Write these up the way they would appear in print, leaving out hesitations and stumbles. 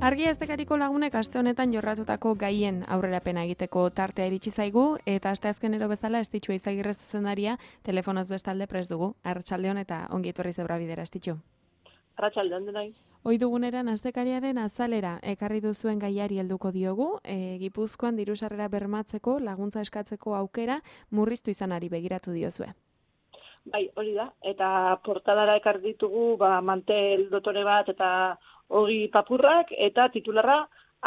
Argia estekariko lagunek aste honetan jorratutako gaien aurrerapena egiteko tartea iritsi zaigu eta asteazkenero bezala Estitxu Eizagirre zuzendaria telefonoz bestalde prest dugu. Arratsaldeon eta ongi etorri Zebra Bidera, Estitxu. Arratsaldeon denoi. Ohi duguneran astekariaren azalera ekarri duzuen gaiari helduko diogu, Gipuzkoan diru-sarrera bermatzeko laguntza eskatzeko aukera murriztu izanari begiratu diozue. Bai, hori da, eta portadara ekarri ditugu mantel dotore bat eta ogi papurrak eta titularra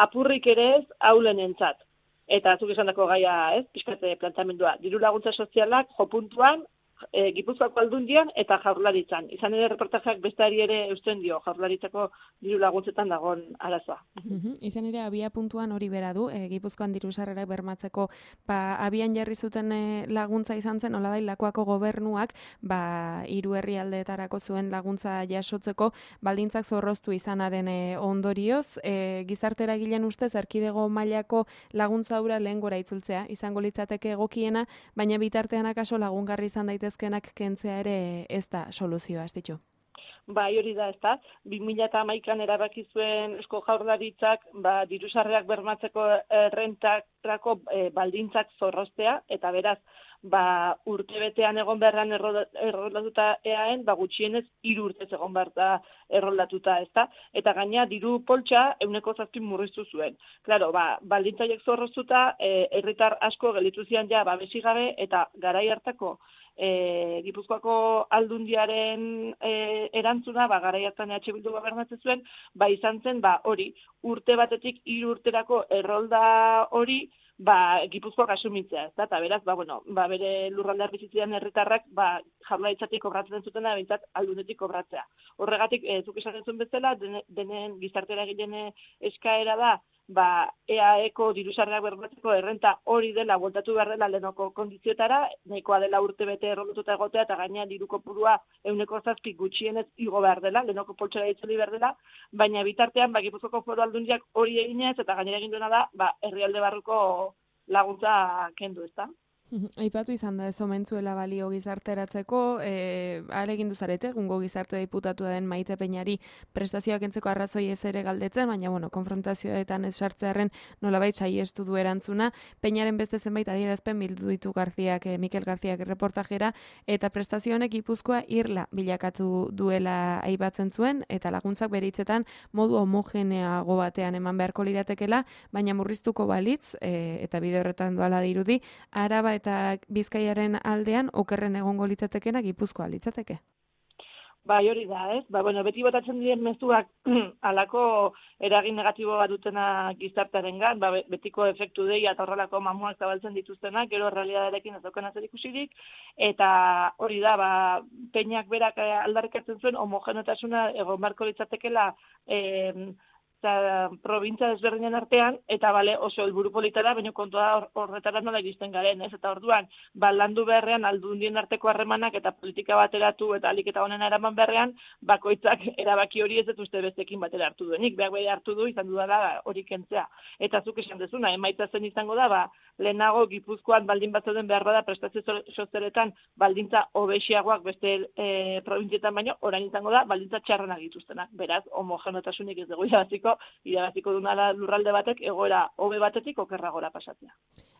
apurrik ere ez aulenentzat. Eta zuk esandako gaia, pixkate planteamendua, diru laguntza sozialak jo puntuan Gipuzkoako Aldundian eta Jaurlaritzan. Izan ere reportajeak besteari ere eusten dio Jaurlaritzako diru laguntzetan dagoen arazoa. Izan ere abia puntuan hori bera du, Gipuzkoan diru-sarrerak bermatzeko abian jarri zuten laguntza izan zen, nolabait Lakuako gobernuak hiru herrialdeetarako zuen laguntza jasotzeko baldintzak zorroztu izanaren ondorioz, gizarte eragileen ustez erkidego mailako laguntza hura lehen gora itzultzea izango litzateke egokiena, baina bitartean akaso lagungarri izan daitezkenak kentzea ere ez da soluzioa, Estitxu. Bai, hori da, ez da. 2011an erabaki zuen Eusko Jaurlaritzak diru-sarrerak bermatzeko errentarako baldintzak zorroztea, eta beraz, urtebetean egon beharran erroldatuta eaen, gutxienez 3 urtez egon behar da erroldatuta, ez da? Eta gaina diru poltsa 7% murriztu zuen. Claro, baldintzaiek zorroztuta, herritar asko gelditu zian ja babesigabe, eta garai hartako Gipuzkoako Aldundiaren erantzuna, garai hartan EH Bildu gobernatzen zuen, izan zen, hori, urte batetik 3 urterako errolda hori, Gipuzkoak asumitzea, ez da, eta beraz, bere lurraldear bizitzean herritarrak, Jaurlaritzatik kobratzen zutena, bintzat Aldundetik kobratzea. Horregatik, zuk esaten zuen bezala, denen gizarte eragileen eskaera da, EAEko diru-sarrerak bermatzeko errenta hori dela, bueltatu behar dela lehenoko kondizioetara, nahikoa dela urtebete errolatuta egotea, eta gaina diru kopurua 7% gutxienez igo behar dela, lehenoko poltsera itzuli behar dela, baina bitartean, Gipuzkoako Foru Aldundiak hori eginez, eta gainera egin duena da, herrialde barruko laguntza kendu, ezta? Aipatu izan da ez omentzuela balio gizarteratzeko, ahalegin duzarete, egungo gizarte diputatua den Maite Peñari prestazioak entzeko arrazoi ez ere galdetzen, baina konfrontazioetan ez sartzearren nolabait saiestu du erantzuna. Peñaren beste zenbait adierazpen bildu ditu Mikel Garziak reportajera, eta prestazio honek Gipuzkoa irla bilakatu duela aipatzen zuen, eta laguntzak bere hitzetan modu homogeneago batean eman beharko liratekela, baina murriztuko balitz, eta bide horretan doala dirudi, Araba eta Bizkaiaren aldean okerren egongo litzatekeena Gipuzkoa litzateke. Hori da, ez? Beti botatzen diren mezuak halako eragin negatibo bat dutena gizartearengan, betiko efektu deia eta horrelako mamuak zabaltzen dituztenak, gero realitatearekin ez daukan zer ikusirik, eta hori da, Peñak berak aldarrikatzen zuen homogeneotasuna egon beharko litzatekeela probintzia desberdinen artean, eta oso helburu polita da, baina kontua horretara nola iristen garen, ez? Eta orduan, landu beharrean aldundien arteko harremanak eta politika bateratu eta alik eta honena eraman beharrean, bakoitzak erabaki hori ez dut uste bestekin batera hartu duenik, berak bere hartu du, izan dudala hori kentzea. Eta zuk esan dezuna, emaitza zen izango da, lehenago Gipuzkoan baldin batzauden behar bada prestazio sozialetan baldintza hobexiagoak beste probintzietan baino, orain izango da, baldintza txarrenak dituztenak. Beraz, homogenotasunik ez dugu irabaziko duna lurralde batek egoera hobe batetik okerragora pasatzea.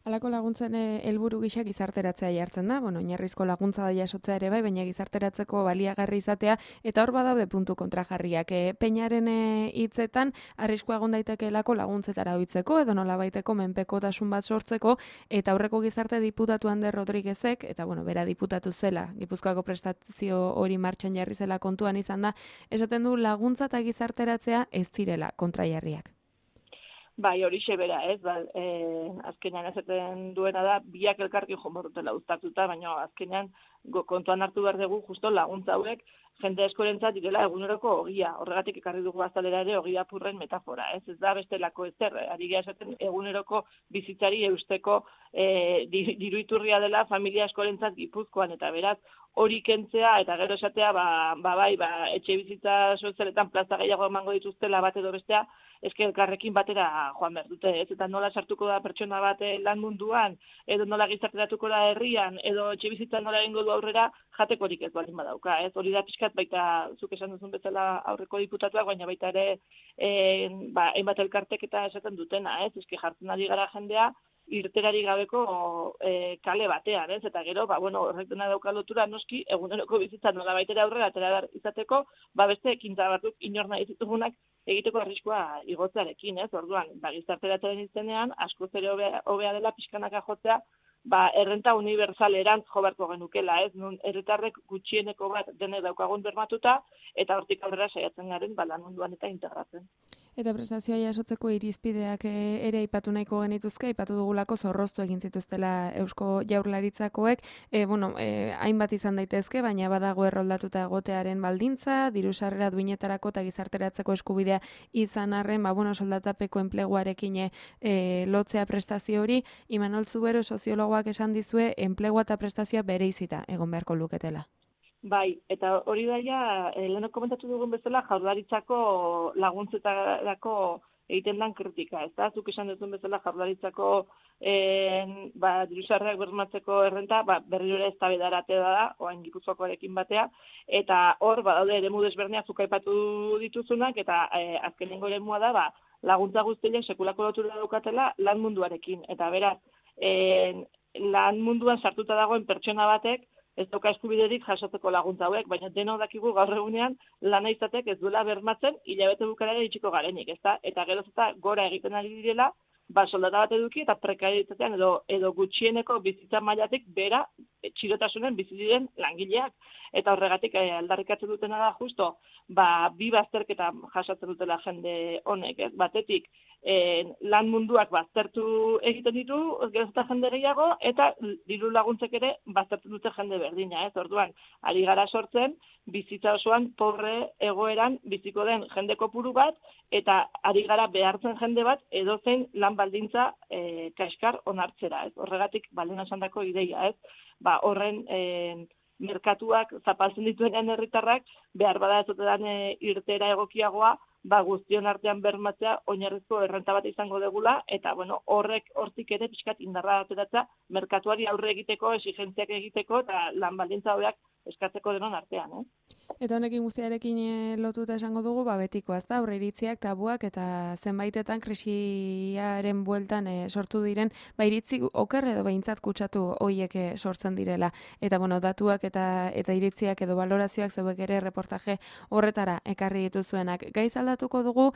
Halako laguntzen helburu gisa gizarteratzea jartzen da, oinarrizko laguntza jasotzea ere bai, baina gizarteratzeko baliagarri izatea, eta hor badaude puntu kontrajarriak. Peñaren hitzetan arriskua egon daitekeelako laguntzetara ohitzeko edo nolabaiteko menpekotasun bat sortzeko, eta aurreko gizarte diputatu Ander Rodriguezek, eta bera diputatu zela, Gipuzkoako prestazio hori martxan jarri zela kontuan izan da, esaten du laguntza eta gizarteratzea ez direla kontrajarriak. Hori bera, ez, azkenean esaten duena da, biak elkarkin jomorrutela uztartuta, baina azkenean kontuan hartu behar dugu justo laguntza hauek jende askorentzat direla eguneroko ogia. Horregatik ekarri dugu azalera ere ogia apurren metafora, ez da bestelako ezer, ari gara esaten eguneroko bizitzari eusteko diru iturria dela familia askorentzat Gipuzkoan, eta beraz hori kentzea eta gero esatea, etxe bizitza sozialetan plaza gehiago emango dituztela bat edo bestea, eske elkarrekin batera joan behar dute, ez? Eta nola sartuko da pertsona bat lan munduan, edo nola gizarteratuko da herrian, edo etxe bizitzan nola egingo du aurrera jatekorik ez baldin badauka, ez? Hori da pixkat baita zuk esan duzun bezala aurreko diputatuak, baina baita ere hainbat elkartek eta esaten dutena, ez? Eske jartzen ari gara jendea irterari gabeko kale batean, ez? Eta gero, horrek dena dauka lotura noski eguneroko bizitza nola baitera aurrera atera izateko, beste ekintza batzuk inor nahi ditugunak egiteko arriskua igotzearekin, ez? Orduan, gizarteratzaren izenean askoz ere hobea dela pixkanaka jotzea, errenta unibertsalerantz jo beharko genukela, ez? Nun herritarrek gutxieneko bat denek daukagun bermatuta eta hortik aurrera saiatzen garen lan munduan eta integratzen. Eta prestazioa jasotzeko irizpideak ere aipatu nahiko genituzke, aipatu dugulako zorroztu egin zituztela Eusko Jaurlaritzakoek, hainbat izan daitezke, baina badago erroldatuta egotearen baldintza, diru sarrera duinetarako eta gizarteratzeko eskubidea izan arren, soldatapeko enpleguarekin lotzea prestazio hori. Imanol Zubero soziologoak esan dizue enplegua eta prestazioa bereizita egon beharko luketela. Bai, eta hori daia, lehenok komentatu dugun bezala, Jaurlaritzako laguntzetarako egiten dan kritika, ez da? Zuk esan duzun bezala Jaurlaritzako diru-sarrerak bermatzeko errenta, berriro ere eztabaidara da, orain Gipuzkoakoarekin batea, eta hor, badaude eremu desberdinak zuk aipatu dituzunak, eta azkenengo eremua da, laguntza guztiak sekulako lotura daukatela lan munduarekin, eta beraz, lan munduan sartuta dagoen pertsona batek, ez dauka eskubiderik jasotzeko laguntza hauek, baina denok dakigu gaur egunean lana izatek ez duela bermatzen hilabete bukaerara iritsiko garenik, ezta? Eta geroz eta gora egiten ari direla, soldata bat eduki eta prekarietatean edo gutxieneko bizitza mailatik bera txirotasunen bizi diren langileak. Eta horregatik aldarrikatzen dutena da justo, bi bazterketa jasotzen dutela jende honek, ez? Batetik, lan munduak baztertu egiten ditu, geroz eta jende gehiago, eta diru laguntzek ere baztertu dute jende berdina, ez? Orduan, ari gara sortzen, bizitza osoan pobre egoeran biziko den jende kopuru bat, eta ari gara behartzen jende bat edozein lan baldintza kaskar onartzera, ez? Horregatik baldin esandako ideia, ez? Horren merkatuak zapaltzen dituenean herritarrak behar bada ez otedan irtera egokiagoa, guztion artean bermatzea oinarrizko errenta bat izango degula, eta hortik ere pixkat indarra ateratzea merkatuari aurre egiteko, exigentziak egiteko, eta lan baldintza hobeak eskatzeko denon artean, Eta honekin guztiarekin lotuta esango dugu, betiko, ez da, aurreiritziak, tabuak, eta zenbaitetan krisiaren bueltan sortu diren, iritzi oker edo behintzat kutsatu hoiek sortzen direla. Eta, datuak eta iritziak edo balorazioak zeuek ere reportaje horretara ekarri dituzuenak. Gaiz aldatuko dugu,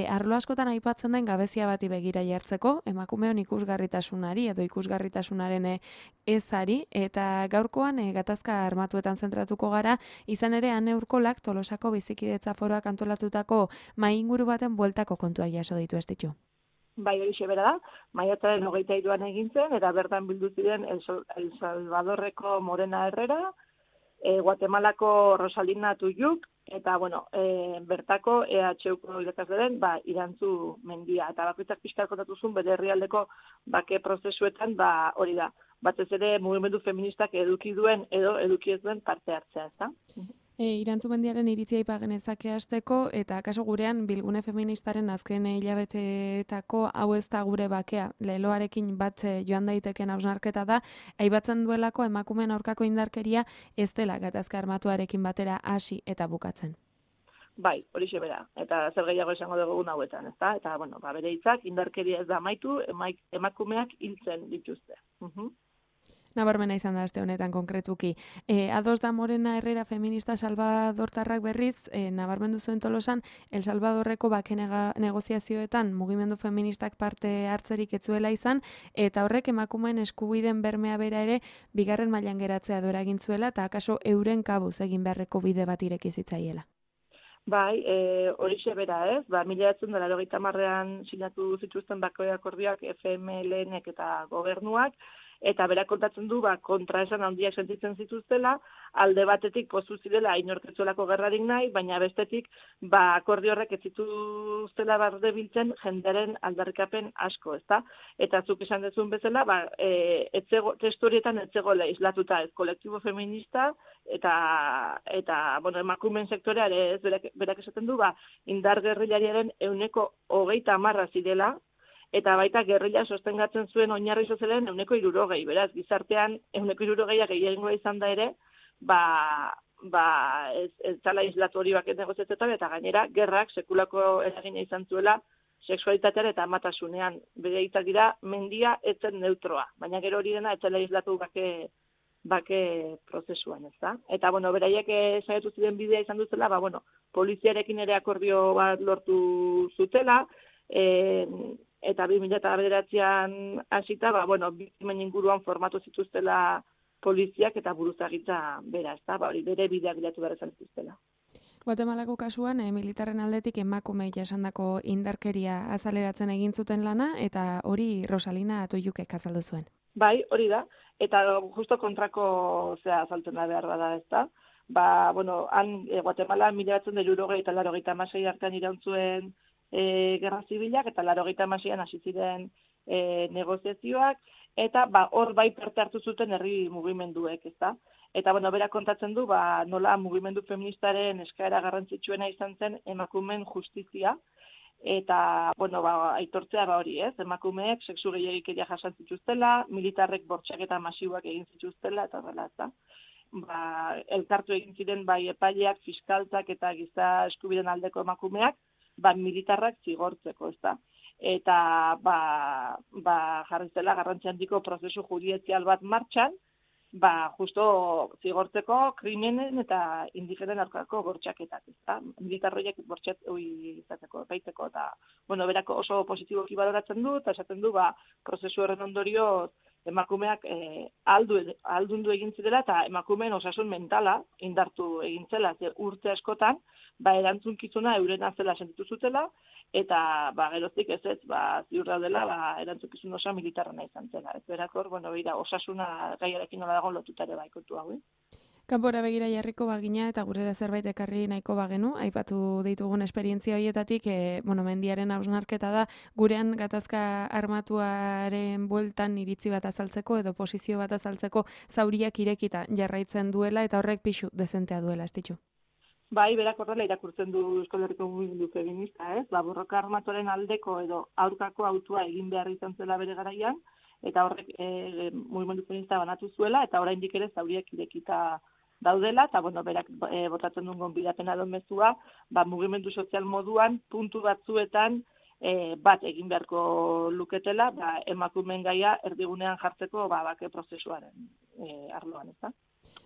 arlo askotan aipatzen den gabezia bati begira jartzeko, emakumeon ikusgarritasunari edo ikusgarritasunaren ezari, eta gaurkoan gatazka armatuetan zentratuko gara, izan ere Ane Urkolak Tolosako bizikidetza foroak antolatutako mahai inguru baten bueltako kontua jaso ditu ez ditu. Bai, hori bera da, maiatzaren 23an egin zen, eta bertan bildu ziren El Salvadorreko Morena Herrera, Guatemalako Rosalina Tuyuk, eta, bertako EHUko irakasleren, Irantzu Mendia. Eta bakoitzak pixkar kontatu zuen, bere herrialdeko bake prozesuetan, hori da. Batez ere mugimendu feministak eduki duen edo eduki ez duen parte hartzea, ez da? Irantzu Mendiaren iritzia aipa genezake hasteko, eta kaso gurean bilgune feministaren azken hilabeteetako hau ez da gure bakea. Leloarekin bat joan daiteken hausnarketa da, aipatzen duelako emakumeen aurkako indarkeria ez dela gatazka armatuarekin batera hasi eta bukatzen. Bai, hori bera. Eta zer gehiago esango dugu hauetan, ez da? Eta, bere hitzak indarkeria ez da amaitu, emakumeak hiltzen dituzte. Nabarmena izan da aste honetan konkretuki. Ados da Morena Herrera feminista salvadortarrak berriz, nabarmendu zuen Tolosan, El Salvadorreko bake negoziazioetan mugimendu feministak parte hartzerik etzuela izan, eta horrek emakumeen eskubideen bermea bera ere bigarren mailan geratzea dora egin zuela, eta akaso euren kabuz egin beharreko bide bat ireki zitzaiela. Bai, horixe bera ez, 1990an sinatu zituzten bake akordioak FMLNek eta gobernuak, eta berak kontatzen du kontraesan handiak sentitzen zituztela, alde batetik pozu zirela inorketzuelako gerrarik nahi, baina bestetik akordio horrek ez zituztela barde biltzen jenderen aldarrikapen asko, ezta? Eta zuk esan dezun bezala, testu horietan ez zegoela islatuta ez kolektibo feminista, eta emakumeen sektorea ere ez berak esaten du, indar gerrilariaren 30% zirela, eta baita gerrilla sostengatzen zuen oinarri sozialen 60%, beraz, gizartean 60%a gehiagoa izan da ere, ez zala islatu hori baket negoziatzen, eta gainera, gerrak sekulako eragina izan zuela sexualitatean eta amatasunean. Bere hitzak dira, mendia etzen neutroa, baina gero hori dena etzela islatu bake prozesuan, ez da? Eta, beraiek saiatu ziren bidea izan duzela, poliziarekin ere akordio bat lortu zutela, eta 2009an hasita, biktimen inguruan formatu zituztela poliziak eta buruzagitza bera, ez da? Hori bere bideak bilatu behar izan zituztela. Guatemalako kasuan, militarren aldetik emakumei jasandako indarkeria azaleratzen egin zuten lana, eta hori Rosalina Atoiukek azaldu zuen. Bai, hori da, eta justo kontrako azaltzen da behar bada, ez da? Han Guatemala 1960 eta 1986 artean iraun zuen gerra zibilak, eta 1986an hasi ziren negoziazioak, eta hor bai parte hartu zuten herri mugimenduek, ez da? Eta, berak kontatzen du, nola mugimendu feministaren eskaera garrantzitsuena izan zen emakumeen justizia, eta, aitortzea hori, ez? Emakumeek sexu gehiagikeria jasan zituztela, militarrek bortxaketa masiboak egin zituztela, eta horrela, ez da? Elkartu egin ziren bai epaileak, fiskaltzak eta giza eskubideen aldeko emakumeak, militarrak zigortzeko, ez da? Eta, jarri zela garrantzi handiko prozesu judizial bat martxan, justo zigortzeko krimenen eta indigenen aurkako bortxaketak, ezta? Militarroiek izateko, baiteko, eta, berako oso positiboki baloratzen du, eta esaten du, prozesu horren ondorio emakumeak aldundu egin zirela, eta emakumeen osasun mentala indartu egin zela, urte askotan, erantzunkizuna eurena zela sentitu zutela, eta geroztik ez ziur daudela erantzukizun osa militarrena izan zela. Ez berakor, osasuna gaiarekin nola dago lotutare kontu hau. Kanpora begira jarriko bagina eta gurera zerbait ekarri nahiko bagenu, aipatu ditugun esperientzia horietatik, mendiaren hausnarketa da, gurean gatazka armatuaren bueltan iritzi bat azaltzeko edo posizio bat azaltzeko zauriak irekita jarraitzen duela eta horrek pixu dezentea duela, ez ditu? Bai, berak horrela irakurtzen du Euskal Herriko mugimendu feminista, ez? Borroka armatuaren aldeko edo aurkako autua egin behar izan zela bere garaian, eta horrek mugimendu feminista banatu zuela, eta oraindik ere zauriak irekita daudela, eta berak botatzen duen gonbidapena edo mezua, mugimendu sozial moduan, puntu batzuetan bat egin beharko luketela, emakumeen gaia erdigunean jartzeko bake prozesuaren arloan, ez da?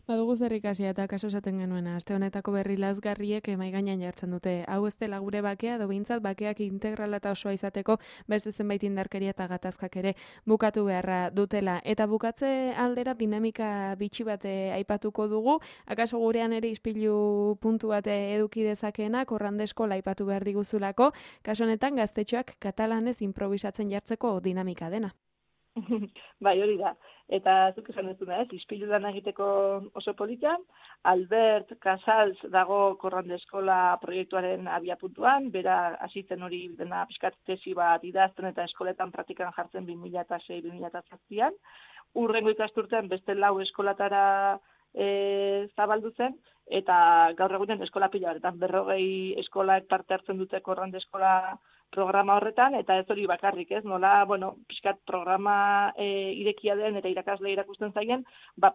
Badugu zer ikasia eta kaso esaten genuena, aste honetako berri lazgarriek mahai gainean jartzen dute. Hau ez dela gure bakea, edo behintzat bakeak integrala eta osoa izateko beste zenbait indarkeria eta gatazkak ere bukatu beharra dutela. Eta bukatze aldera dinamika bitxi bat aipatuko dugu, akaso gurean ere ispilu puntu bat eduki dezakeena, korrandeskola aipatu behar diguzulako, kaso honetan gaztetxoak katalanez improvisatzen jartzeko dinamika dena. Bai, hori da. Eta zuk esan dezuna, ispilu lan egiteko oso polita, Albert Casals dago Korrande Eskola proiektuaren abiapuntuan, bera hasitzen hori dena pixkat tesi bat idazten eta eskoletan praktikan jartzen 2006-2007an. Urrengo ikasturtean beste 4 eskolatara zabaldu zen, eta gaur egunen eskola pila batetan 40 eskolak parte hartzen dute Korrande Eskola programa horretan, eta ez hori bakarrik, ez? Nola, pixkat programa irekia den eta irakasle irakusten zaien,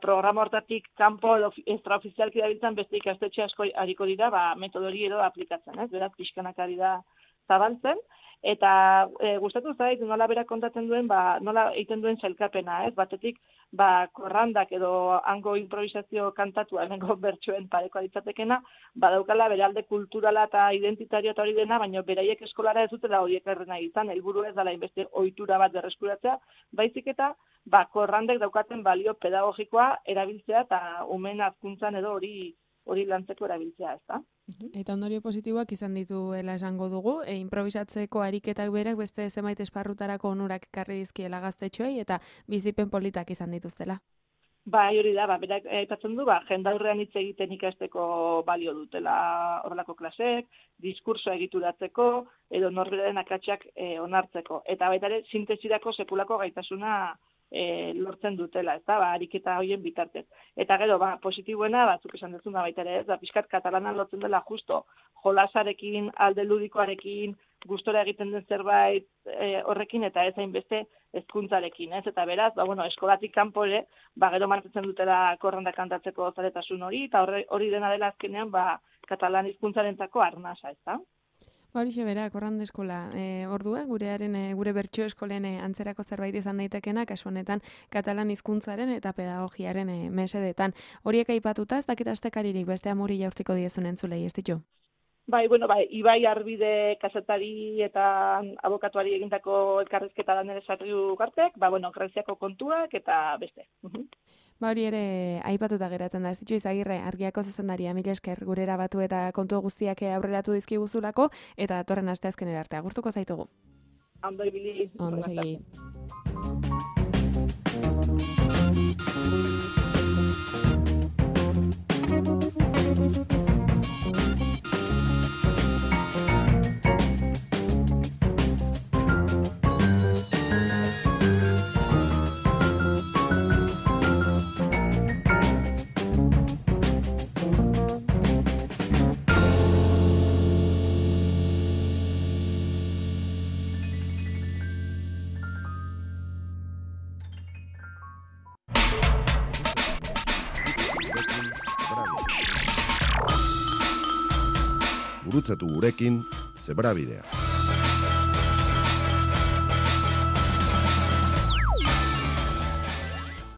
programa hortatik kanpo edo extraofizialki dabiltzan beste ikastetxe asko hariko dira, metodo hori edo aplikatzen, ez? Beraz, pixkanak ari da zabaltzen, eta gustatu zait, nola berak kontatzen duen, nola egiten duen sailkapena, ez? Batetik, korrandak edo hango improvisazio kantatua, hemengo bertsoen pareko ditzatekena, badaukala bere alde kulturala eta identitario eta hori dena, baina beraiek eskolara ez dutela horiek errena izan, helburu ez dela inbeste ohitura bat berreskuratzea, baizik eta korrandek daukaten balio pedagogikoa erabiltzea eta umen hazkuntzan edo hori lantzeko erabiltzea, ez da? Eta ondorio positiboak izan dituela esango dugu, improvisatzeko ariketak berak beste zenbait esparrutarako onurak ekarri dizkiela gaztetxoei eta bizipen politak izan dituztela. Bai, hori da, berak aipatzen du, jendaurrean hitz egiten ikasteko balio dutela horrelako klasek, diskursoa egituratzeko, edo norberaren akatsak onartzeko. Eta baita ere, sintesirako sekulako gaitasuna lortzen dutela, ez da, ariketa horien bitartez. Eta gero, positiboena, batzuk esan dezuna baita ere, ez da, pixkat katalanan lotzen dela justo, jolasarekin, alde ludikoarekin, gustora egiten den zerbait horrekin eta ez hainbeste hezkuntzarekin, ez? Eta beraz, eskolatik kanpo ere, gero mantentzen dutela korronda kantatzeko zaletasun hori, eta hori dena dela azkenean, katalan hizkuntzarentzako arnasa, ez da? Horixe bera, korronda eskola. Ordua, gure bertso eskolen antzerako zerbait izan daitekena, kasu honetan katalan hizkuntzaren eta pedagogiaren mesedetan. Horiek aipatuta, ez dakit astekaririk beste amuri jaurtiko diezun entzulei, ez ditu? Bai, Ibai Arbide kazetari eta abokatuari egindako elkarrizketa da nire sarriu gartek, Greziako kontuak eta beste. Hori ere aipatuta geratzen da, ez ditu Izagirre, Argiako zuzendaria, mila esker gurera batu eta kontu guztiak aurreratu dizkiguzulako, eta datorren asteazkenera arte agurtuko zaitugu. Ondo ibili. Ondo segi. Gurutzatu gurekin Zebrabidea.